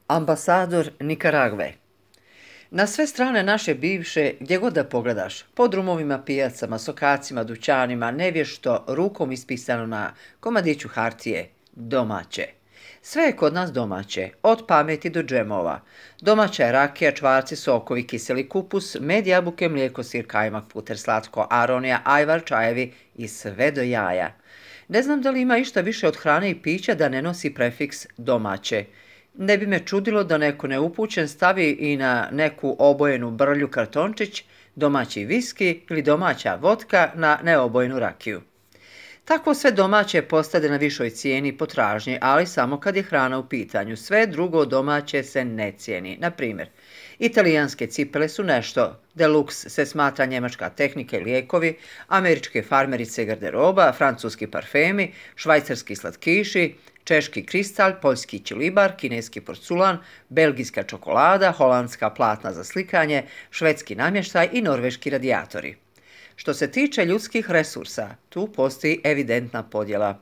Ambasador Nikaragve. Na sve strane naše bivše, gdje god da pogledaš, po drumovima, pijacama, sokacima, dućanima, nevješto, rukom ispisano na komadiću hartije, domaće. Sve je kod nas domaće, od pameti do džemova. Domaća je rakija, čvarci, sokovi, kiseli kupus, med, jabuke, mlijeko, sir, kajmak, puter, slatko, aronija, ajvar, čajevi i sve do jaja. Ne znam da li ima išta više od hrane i pića da ne nosi prefiks domaće. Ne bi me čudilo da neko neupućen stavi i na neku obojenu brlju kartončić domaći viski ili domaća vodka na neobojenu rakiju. Tako sve domaće postade na višoj cijeni potražnje, ali samo kad je hrana u pitanju. Sve drugo domaće se ne cijeni. Na primjer, italijanske cipele su nešto, deluxe se smatra njemačka tehnika i lijekovi, američke farmerice i garderoba, francuski parfemi, švajcarski slatkiši, češki kristal, poljski ćilibar, kineski porculan, belgijska čokolada, holandska platna za slikanje, švedski namještaj i norveški radijatori. Što se tiče ljudskih resursa, tu postoji evidentna podjela.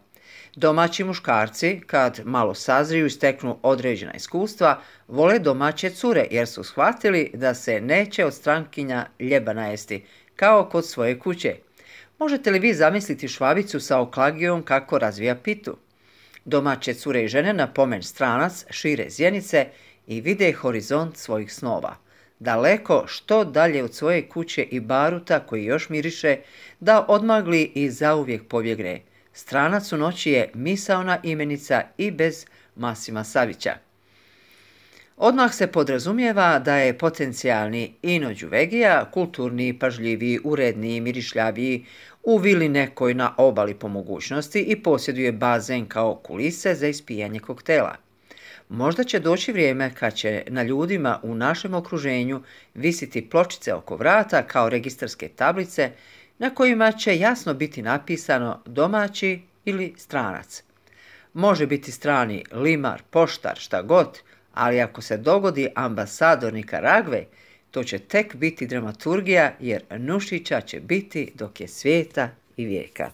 Domaći muškarci, kad malo sazriju i steknu određena iskustva, vole domaće cure jer su shvatili da se neće od strankinja ljeba najesti, kao kod svoje kuće. Možete li vi zamisliti Švabicu sa oklagijom kako razvija pitu? Domaće cure i žene na pomen stranac šire zjenice i vide horizont svojih snova. Daleko što dalje od svoje kuće i baruta koji još miriše, da odmagli i zauvijek pobjegne. Stranac u noći je misaona imenica i bez Masima Savića. Odmah se podrazumijeva da je potencijalni Ino Đuvegija kulturni, pažljiviji, uredniji, mirišljaviji, u vili nekoj na obali po mogućnosti i posjeduje bazen kao kulise za ispijanje koktela. Možda će doći vrijeme kad će na ljudima u našem okruženju visiti pločice oko vrata kao registarske tablice na kojima će jasno biti napisano domaći ili stranac. Može biti strani limar, poštar, šta god, ali ako se dogodi ambasador Nikaragve, to će tek biti dramaturgija jer Nušića će biti dok je svijeta i vijeka.